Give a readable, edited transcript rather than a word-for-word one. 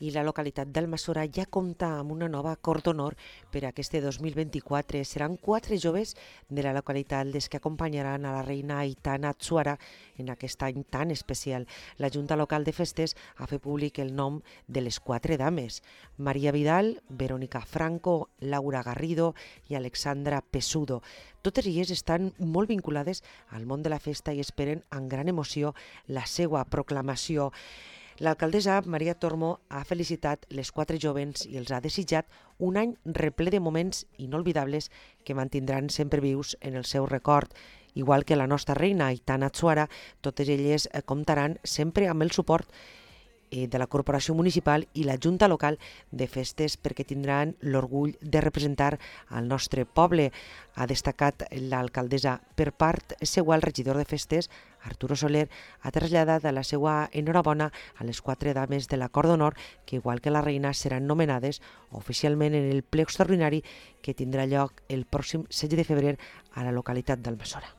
I la localitat d'Almassora ja compta amb una nova acord d'honor per a aquest 2024. Seran 4 joves de la localitat les que acompanyaran a la reina Aitana Atsuara en aquest any tan especial. La Junta Local de Festes ha fet públic el nom de les 4 dames: Maria Vidal, Verónica Franco, Laura Garrido i Alexandra Pesudo. Totes elles estan molt vinculades al món de la festa i esperen amb gran emoció la seva proclamació. L'alcaldessa Maria Tormo ha felicitat les 4 jovens i els ha desitjat un any reple de moments inolvidables que mantindran sempre vius en el seu record. Igual que la nostra reina Aitana Atsuara, totes elles comptaran sempre amb el suport de la Corporació Municipal i la Junta Local de Festes perquè tindran l'orgull de representar al nostre poble, ha destacat l'alcaldessa. Per part seva, el regidor de Festes, Arturo Soler, ha traslladat la seva enhorabona a les 4 dames de l'acord d'honor que, igual que la reina, seran nomenades oficialment en el ple extraordinari que tindrà lloc el pròxim 16 de febrer a la localitat d'Almassora.